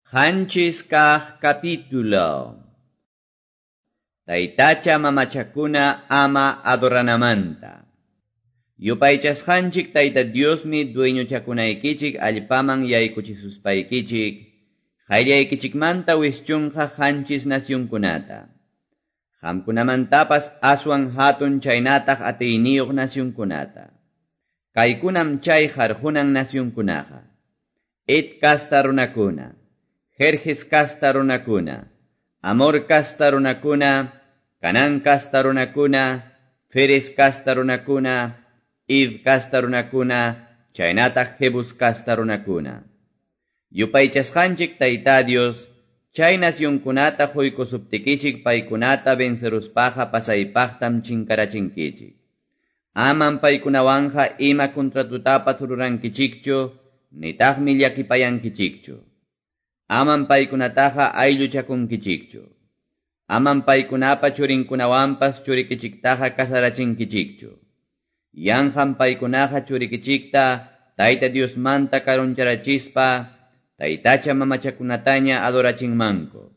7 kaq capítulo. Taytacha mamachakuna ama adoranamanta. Yupaychasqanchik Tayta Diosmi dueñochakunaykichik allpaman yaykuchisuspaykichik, qayllaykichikmanta wischunqa 7 nacionkunata. Qamkunamantapas aswan hatun chaynataq atiyniyuq nacionkunata. Kaykunam chay qarqunan nacionkunaqa. Het kasta runakuna, Gerges kasta runakuna, Amor kasta runakuna, Canaan kasta runakuna, Ferez kasta runakuna, Hiv kasta runakuna, chaynataq Jebus kasta runakuna. Yupaychasqanchik Tayta Dios, chay nacionkunata quykusuptikichik paykunata venceruspaqa pasaypaqtam chinkarachinkichik. Amam paykunawanqa ima contratutapas rurankichikchu, nitaqmi llakipayankichikchu. Amam paykunataqa aylluchakunkichikchu. Amam paykunapa churinkunawanpas churikichiktaqa kasarachinkichikchu. Yanqam paykunaqa churikichikta Tayta Diosmanta karuncharachispa taytacha mamachakunataña adorachinmanku.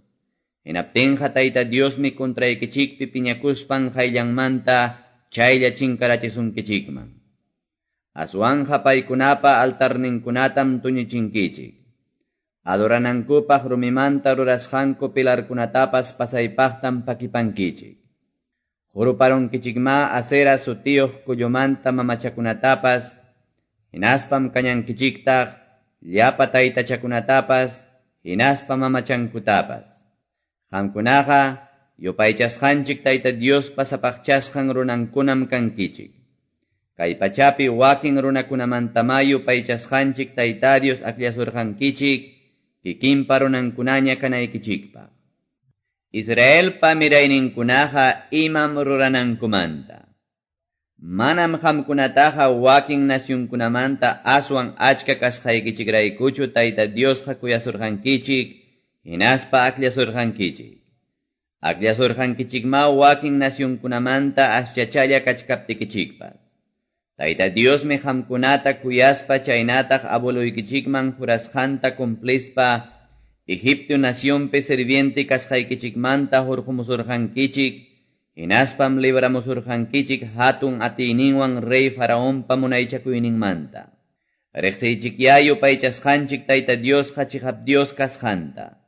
Hinaptinqa Tayta Diosmi contraykichikpi piñakuspan qayllanmanta chaylla chinkarachisunkichikman. Aswanqa paykunapa altarninkunatam tuñichinkichik. Adoranankupaq rumimanta rurasqanku pilarkunatapas pasaypaqtam pakipankichik. Huruparunkichikma Asera sutiyuq kullumanta mamachakunatapas, hinaspam kañankichiktaq llapa taytachakunatapas, hinaspa mamachankutapas. Qamkunaqa yupaychasqanchik Tayta Diospa sapaqchasqan runankunam kankichik. Kay pachapi wakin runakunamantama yupaychasqanchik Tayta Dios akllasurqankichik, kikinpa runankunaña kanaykichikpaq. Israelpa mirayninkunaqa imam ruranankumanta. Manam qamkunataqa wakin nacionkunamanta aswan achka kasqaykichikraykuchu Tayta Diosqa kuyasurqankichik, hinaspa akllasurqankichik. Akllasurqankichikma wakin nacionkunamanta aschachalla kachkaptikichikpas. Tayta Diosmi qamkunata kuyaspa chaynataq abueloykichikman jurasqanta cumplispa Egipto nacionpi sirviente kasqaykichikmanta hurqumusurqankichik, hinaspam libramusurqankichik hatun atiyninwan rey Faraonpa munaychakuyninmanta. Riqsiychikyá yupaychasqanchik Tayta Diosqa chiqap Dios kasqanta.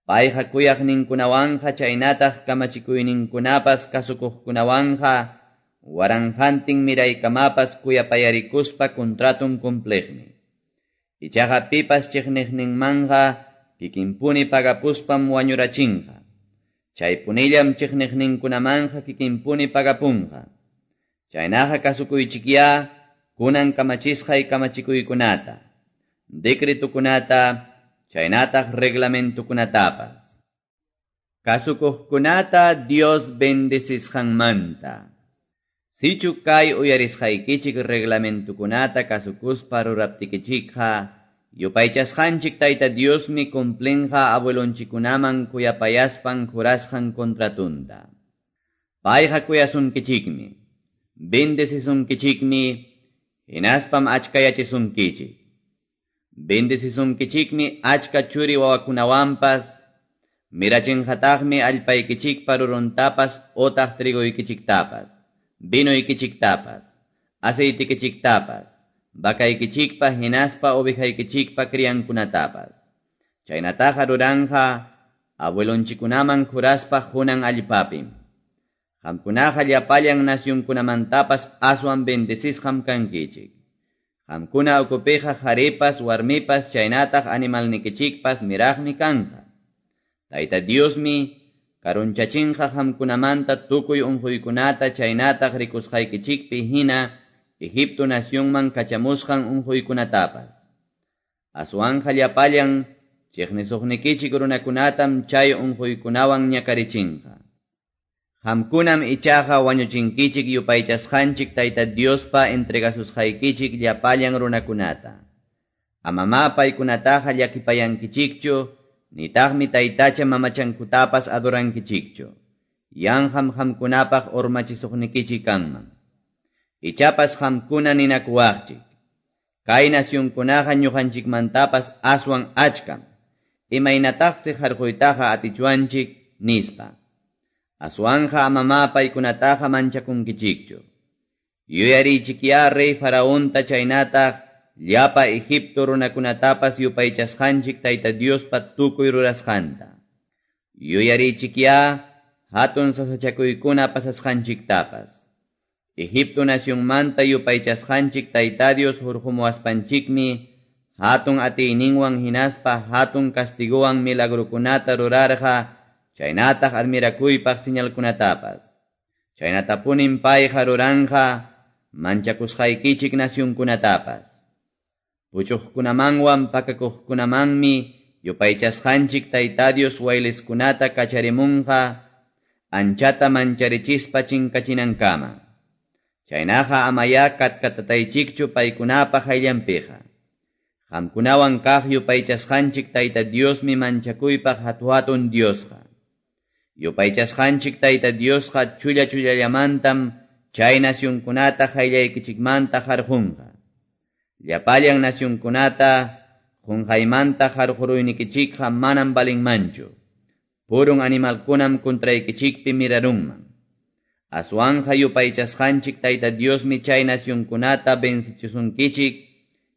Payqa kuyaqninkunawanqa chaynataq kamachikuyninkunapas kasukuqkunawanqa waranqantin miraykamapas kuyapayarikuspa contraton cumpliqmi. Ichaqa pipas chiqniqninmanqa kikinpuni pagapuspam wañurachinqa. Chaypunillam chiqniqninkunamanqa kikinpuni pagapunqa. Chaynaqa kasukuychikyá kunan kamachisqay kamachikuykunata, decretukunata, chaynataq reglamentukunatapas. Kasukuqkunata Dios bendecisqanmanta. Sichu kay uyarisqaykichik reglamentukunata kasukuspa ruraptikichikqa, yupaychasqanchik Tayta Diosmi cumplinqa abuelonchikunaman kuyapayaspan jurasqan contratunta. Payqa kuyasunkichikmi, bendecisunkichikmi, hinaspam achkayachisunkichik. Bendecisunkichikmi achka churi wawakunawanpas, mirachinqataqmi allpaykichikpa ruruntapas otaq trigoykichiktapas, vinoykichiktapas, aceitikichiktapas, vakaykichikpa hinaspa ovejaykichikpa criankunatapas. Chaynataqa ruranqa abuelonchikunaman juraspa hunan allpapim. Qamkunaqa llapallan nacionkunamantapas aswan bendecisqam kankichik. Qamkuna ukupiqa qharipas, warmipas, chaynataq animalnikichikpas miraqmi kanqa. Tayta Diosmi karunchachinqa qamkunamanta tukuy unquykunata chaynataq rikusqaykichikpi hina Egipto nacionman kachamusqan unquykunatapas. Aswanqa llapallan chiqnisuqnikichik runakunatam chay unquykunawan ñakarichinqa. Qamkunam ichaqa wañuchinkichik yupaychasqanchik Tayta Diospa entregasusqaykichik llapallan runakunata. Amamá paykunataqa llakipayankichikchu, nitaqmi taytacha mamachankutapas adorankichikchu. Yanqam qamkunapaq urmachisuqnikichik kanman. Ichapas qamkuna ninakuwaqchik. Kay nacionkunaqa ñuqanchikmantapas aswan achkam. Imaynataqsi qarquytaqa atichwanchik? nispa. Aswanqa amamá paykunataqa manchakunkichikchu. Yuyariychikyá rey Faraonta chaynataq llapa Egipto runakunatapas yupaychasqanchik Tayta Diospa tukuy rurasqanta. Yuyariychikyá hatun sasachakuykuna pasasqanchiktapas. Egipto nacionmanta yupaychasqanchik Tayta Dios hurqumuwaspanchikmi hatun atiyninwan hinaspa hatun castigowan milagrokunata rurarqa chaynataq admirakuypaq señalkunatapas. Chaynatapunim payqa ruranqa manchakusqaykichik nacionkunatapas. Puchuqkunamanwan pakakuqkunamanmi yupaychasqanchik Tayta Dios wayliskunata kacharimunqa anchata mancharichispa chinkachinankama. Chaynaqa amayá katkatataychikchu paykunapa qayllanpiqa. Qamkunawan kaq yupaychasqanchik Tayta Diosmi manchakuypaq hatu-hatun Diosqa. Yupaychasqanchik Tayta Diosqa chulla-chullallamantam chay nacionkunata qayllaykichikmanta qarqunqa. Llapallan nacionkunata qunqaymanta qarquruynikichikqa manam valinmanchu. Purun animalkunam contraykichikpi mirarunman. Aswanja yupaychasqanchik Tayta Diosmi chay nacionkunata vencichisunkichik,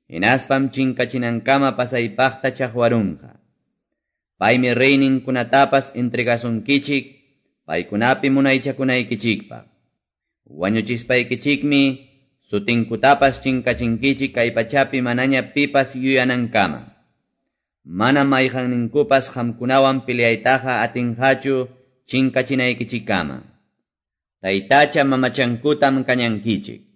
hinaspam chinkachinankama pasaypaqta chaqwarunqa. Paymi reyninkunatapas entregasunkichik, paykunapi munaychakunaykichikpaq. Wañuchispaykichikmi sutinkutapas chinkachinkichik kay pachapi manaña pipas yuyanankama. Mana mayqanninkupas qamkunawan peleaytaqa atinqachu chinkachinaykichikkama. Taytacha mamachankutam kañankichik.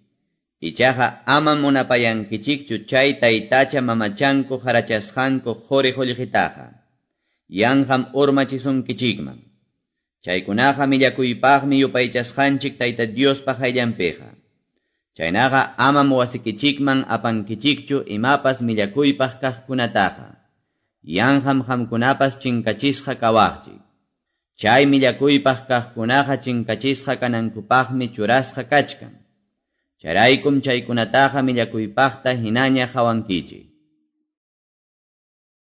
Ichaqa ama munapayankichikchu chay taytacha mamachanku harachasqanku quri qullqitaqa. Yanqam urmachisunkichikman. Chaykunaqa millakuypaqmi yupaychasqanchik Tayta Diospa qayllanpiqa. Chaynaqa amam wasikichikman apankichikchu imapas millakuypaq kaqkunataqa. Yanqam qamkunapas chinkachisqa kawaqchik. Chay millakuypaq kaqkunaqa chinkachisqa kanankupaqmi churasqa kachkan. Chayraykum chaykunataqa millakuypaqta hinaña qawankichik.